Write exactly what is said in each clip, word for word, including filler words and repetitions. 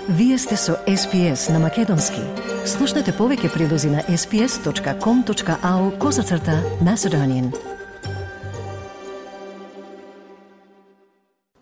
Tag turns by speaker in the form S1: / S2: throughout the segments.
S1: Вие сте со Ес Пи Ес на Македонски. Слушнете повеќе прилози на ес пи ес точка ком точка ау козацрта Macedonian.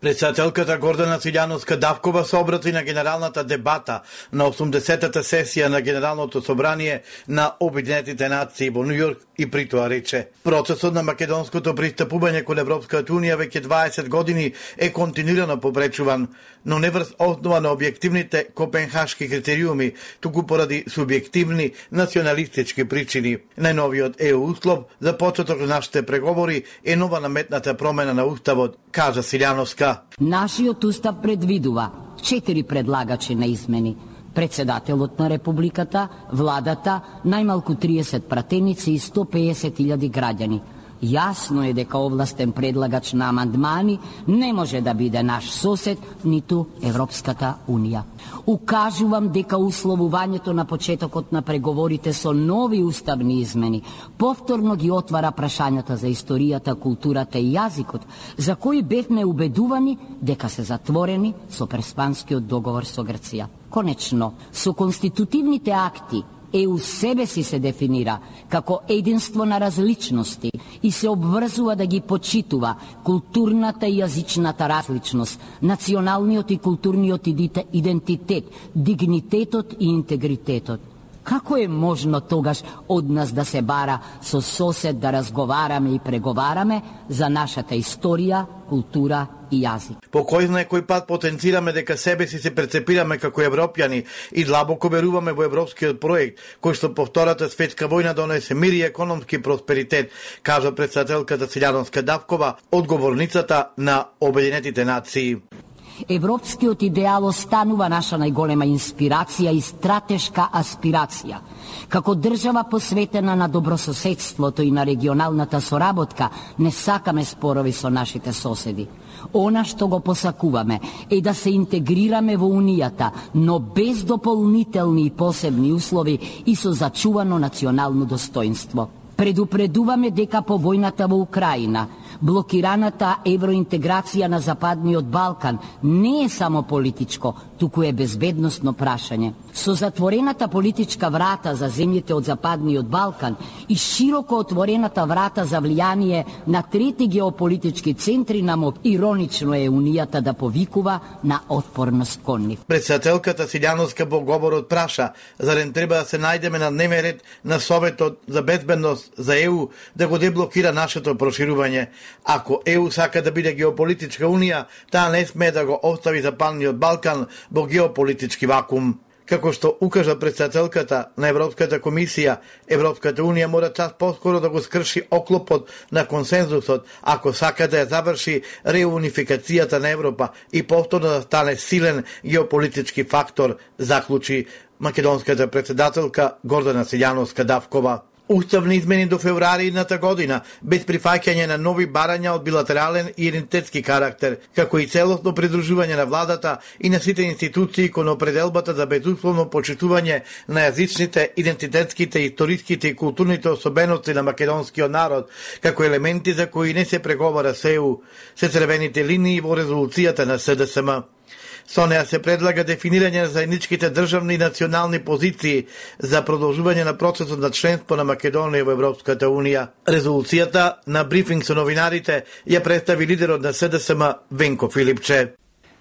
S2: Председателката Гордана Силјановска-Давкова се обрати на генералната дебата на осумдесетата сесија на Генералното собрание на Обединетите нации во Нью Йорк и при тоа рече: процесот на македонското пристапување кон Европската унија веќе дваесет години е континуирано попречуван, но не врз основа на објективните копенхашки критериуми, туку поради субјективни националистички причини. Најновиот е услов за почеток на нашите преговори е нова наметната промена на уставот, кажа Силјановска.
S3: Нашиот устав предвидува четири предлагачи на измени: председателот на републиката, владата, најмалку триесет пратеници и сто пеесет илјади граѓани. Јасно е дека овластен предлагач на амандмани не може да биде наш сосед, ниту Европската унија. Укажувам дека условувањето на почетокот на преговорите со нови уставни измени повторно ги отвара прашањата за историјата, културата и јазикот, за кои бевме убедувани дека се затворени со преспанскиот договор со Грција. Конечно, со конститутивните акти Е У себе си се дефинира како единство на различности и се обврзува да ги почитува културната и јазичната различност, националниот и културниот идентитет, дигнитетот и интегритетот. Како е можно тогаш од нас да се бара со сосед да разговараме и преговараме за нашата историја, култура и јазик?
S2: По кој знае кој пат потенцираме дека себе си се прецепираме како европјани и длабоко веруваме во европскиот проект, кој што по Втората светска војна донесе мир и економски просперитет, кажа председателката Силјановска-Давкова, одговорницата на Обединетите нации.
S3: Европскиот идеал останува наша најголема инспирација и стратешка аспирација. Како држава посветена на добрососедството и на регионалната соработка, не сакаме спорови со нашите соседи. Она што го посакуваме е да се интегрираме во Унијата, но без дополнителни и посебни услови и со зачувано национално достоинство. Предупредуваме дека по војната во Украина, блокираната евроинтеграција на Западниот Балкан не е само политичко, туку е безбедносно прашање. Со затворената политичка врата за земјите од Западниот Балкан и широко отворената врата за влијание на трети геополитички центри на МОП, иронично е Унијата да повикува на отпорност кон нив.
S2: Председателката Силјановска во говорот праша, зарем треба да се најдеме на дневен ред на Советот за безбедност за Е У да го деблокира нашето проширување. Ако Е У сака да биде геополитичка унија, таа не смее да го остави Западниот Балкан во геополитички вакуум. Како што укажа председателката на Европската комисија, Европската унија мора час поскоро да го скрши оклопот на консензусот ако сака да ја заврши реунификацијата на Европа и повторно да стане силен геополитички фактор, заклучи македонската председателка Гордана Силјановска-Давкова. Уставни измени до февруари едната година, без прифаќање на нови барања од билатерален и идентитетски карактер, како и целосно придружување на владата и на сите институции кон определбата за безусловно почитување на јазичните, идентитетските, историските и културните особености на македонскиот народ, како елементи за кои не се преговара со Е У, се црвените линии во резолуцијата на С Д С М. Со неа се предлага дефинирање на заедничките државни и национални позиции за продолжување на процесот на членство на Македонија во Европската унија. Резолуцијата на брифинг со новинарите ја представи лидерот на С Д С М Венко Филипче.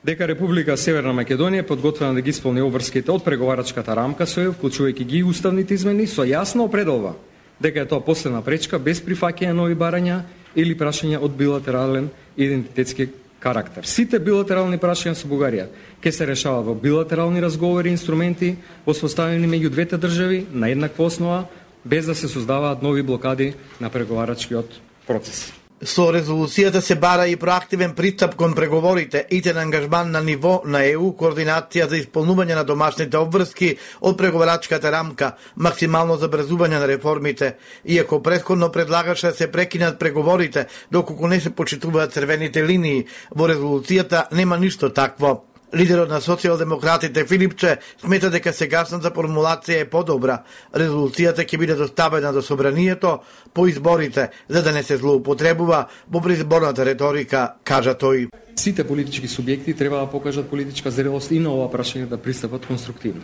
S4: Дека Република Северна Македонија подготвена да ги исполни обврските од преговарачката рамка со Е У, вклучувајќи ги уставните измени, со јасно определува дека е тоа последна пречка без прифаќање нови барања или прашања од билатерален идентитетски карактер. Сите билатерални прашања со Бугарија ќе се решаваат во билатерални разговори и инструменти воспоставени меѓу двете држави на еднаква основа, без да се создаваат нови блокади на преговарачкиот процес.
S2: Со резолуцијата се бара и проактивен пристап кон преговорите, итен ангажман на ниво на Е У, координација за исполнување на домашните обврски од преговарачката рамка, максимално забрзување на реформите, иако претходно предлагаше да се прекинат преговорите доколку не се почитуваат црвените линии, во резолуцијата нема ништо такво. Лидерот на социјалдемократите Филипче смета дека сегашната формулација е подобра. Резолуцијата ќе биде доставена до собранието по изборите, за да не се злоупотребува во предизборната реторика, кажа тој.
S4: Сите политички субјекти треба да покажат политичка зрелост и на ова прашање да пристапат конструктивно.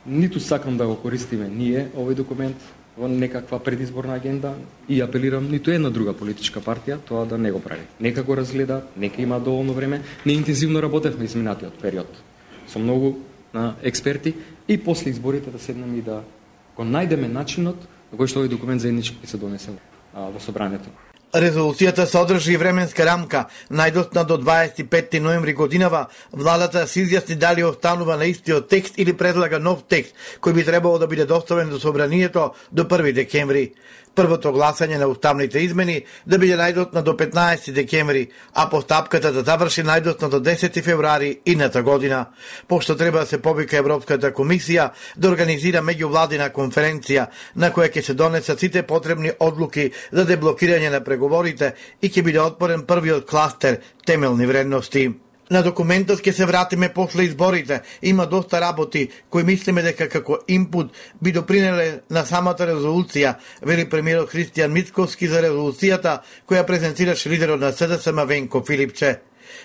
S4: Ниту сакам да го користиме ние овој документ во некаква предизборна агенда и апелирам ниту една друга политичка партија тоа да не го прави. Нека го разгледа, нека има доволно време. Не интензивно работевме изминатиот период со многу на експерти и после изборите да седнеме и да го најдеме начинот на кој што овој документ заеднички ќе се донесе во собранието.
S2: Резолуцијата содржи временска рамка, најдосна до дваесет и петти ноември годинава. Владата се изјасни дали останува на истиот текст или предлага нов текст, кој би требало да биде доставен до собранието до први декември. Првото гласање на уставните измени да биде најдосна до петнаесети декември, а постапката да заврши најдосна до десети февруари идната година. Пошто треба да се повика Европската комисија да организира меѓувладина конференција на која ќе се донесат сите потребни одлуки за деблокирање на преговорите и ќе биде отворен првиот кластер темелни вредности. На документот ќе се вратиме после изборите. Има доста работи кои мислиме дека како инпут би допринеле на самата резолуција, вели премиерот Христијан Мицковски за резолуцијата која презентираше лидерот на С Д С М Венко Филипче.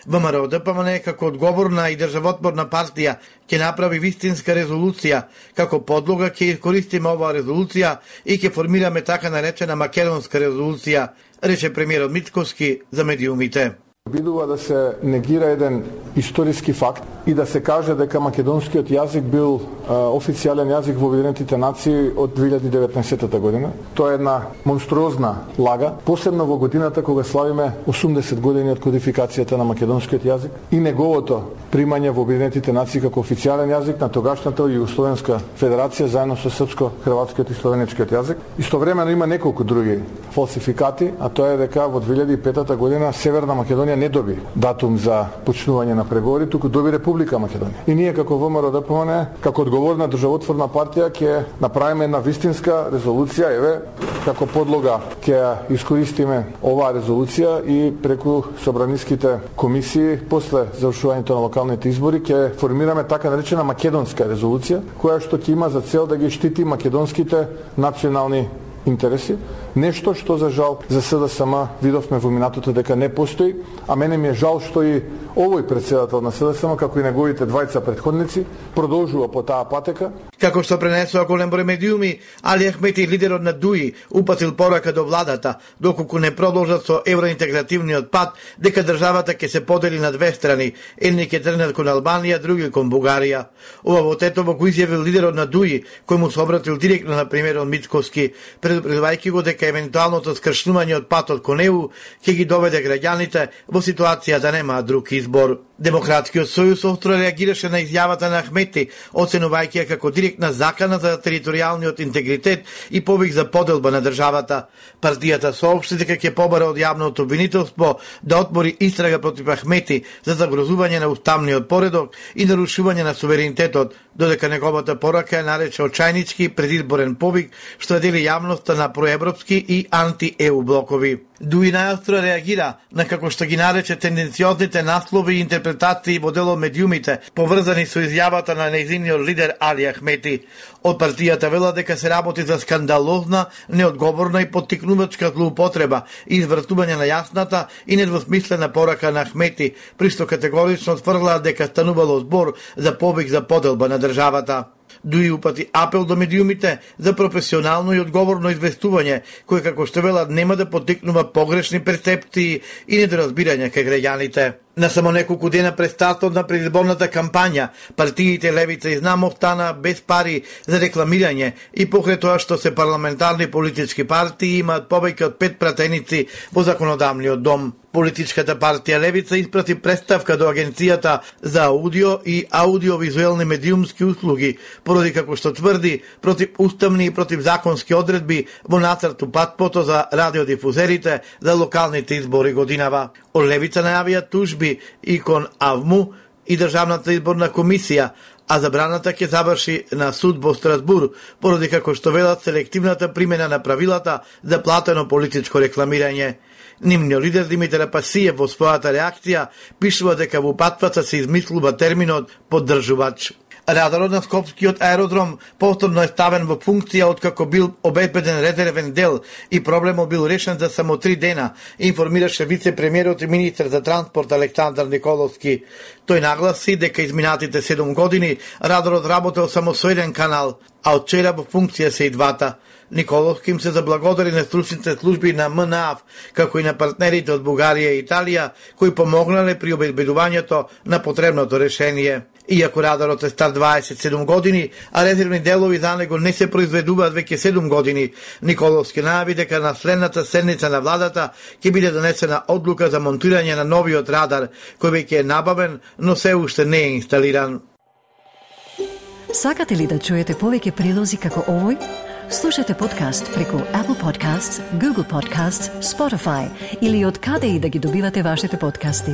S2: ВМРО Д П М Н како одговорна и државотворна партија ќе направи вистинска резолуција. Како подлога ќе искористиме оваа резолуција и ќе формираме така наречена македонска резолуција, рече премиерот Мицковски за медиумите.
S5: Обидува да се негира еден историски факт и да се каже дека македонскиот јазик бил а, официјален јазик во Обединетите нации од две илјади и деветнаесетта година. Тоа е една монструозна лага, посебно во годината кога славиме осумдесет години од кодификацијата на македонскиот јазик и неговото примање во Обединетите нации како официјален јазик на тогашната Југословенска федерација заедно со српско-хрватскиот и словенечкиот јазик. Истовремено има неколку други фалсификати, а тоа е дека во две илјади и петта година Северна Македонија не доби датум за почнување на преговори, туку доби Република Македонија. И ние како ВМРО Д П М Н, како одговорна државотворна партија ќе направиме една вистинска резолуција, еве, како подлога ќе искористиме оваа резолуција и преку собраниските комисии после завршувањето на локалните избори ќе формираме така наречена македонска резолуција, која што ќе има за цел да ги штити македонските национални интереси, нешто што за жал за С Д С М видовме во минатото дека не постои, а мене ми е жал што и овој председател на С Д С М, како и неговите двајца претходници, продолжува по таа патека.
S2: Како што пренесува голем број медиуми, Али Ахмети, лидерот на ДУИ, упатил порака до владата, доколку не продолжат со евроинтегративниот пат, дека државата ќе се подели на две страни, едни ќе тргнат кон Албанија, други кон Бугарија. Ова во Тетово го изјавил лидерот на ДУИ, кој му се обратил директно на премиерот Мицковски, предупредувајќи го дека евентуалното скршнување од патот кон Е У ќе ги доведе граѓаните во ситуација да немаат друг избор. Демократскиот сојуз остро реагираше на изјавата на Ахмети, оценувајќи ја како директна закана за територијалниот интегритет и повик за поделба на државата. Партијата соопшти дека ќе побара од јавното обвинителство да отвори истрага против Ахмети за загрозување на уставниот поредок и нарушување на суверенитетот, додека неговата порака ја нарече очајнички предизборен повик што дели јавноста на проевропски и анти-Е У блокови. ДУИ најостро реагира на како што ги нарече тенденциозните наслови и интерпретации во дел од медиумите, поврзани со изјавата на нејзиниот лидер Али Ахмети. Од партијата вела дека се работи за скандалозна, неодговорна и поттикнувачка злоупотреба и извртување на јасната и недвосмислена порака на Ахмети, при што категорично тврдела дека станувало збор за повик за поделба на државата. ДУИ упати апел до медиумите за професионално и одговорно известување, кој како што велат нема да поттикнува погрешни перцепции и недоразбирање кај граѓаните. На само неколку дена пред стартот на предизборната кампања, партиите Левица и Знам остана без пари за рекламирање и покрај тоа што се парламентарни политички партии имаат повеќе од пет пратеници во законодавниот дом. Политичката партија Левица испрати представка до Агенцијата за аудио и аудиовизуелни медиумски услуги, поради како што тврди против уставни и против законски одредби во нацрту патпото за радиодифузерите за локалните избори годинава. Од Левица најавија тужби и кон АВМУ и Државната изборна комисија, а забраната ќе заврши на суд во Страсбур, поради како што велат селективната примена на правилата за платено политичко рекламирање. Нивниот лидер Димитар Апасиев во својата реакција пишува дека во патвата се измислува терминот поддржувач. Радарот на Скопскиот аеродром повторно е ставен во функција откако бил обезбеден резервен дел и проблемот бил решен за само три дена, информираше вице-премиерот и министер за транспорт Александар Николовски. Тој нагласи дека изминатите седум години радарот работел само со еден канал, а од вчера во функција се и двата. Николовски им се заблагодари на стручните служби на МНАФ, како и на партнерите од Бугарија и Италија, кои помогнале при обезбедувањето на потребното решение. Иако радарот е стар дваесет и седум години, а резервни делови за него не се произведуваат веќе седум години, Николовски најави дека на следната седница на владата ќе биде донесена одлука за монтирање на новиот радар, кој веќе е набавен, но се уште не е инсталиран.
S1: Сакате ли да чуете повеќе прилози како овој? Слушате подкаст преку Apple Podcasts, Google Podcasts, Spotify или од каде и да ги добивате вашите подкасти.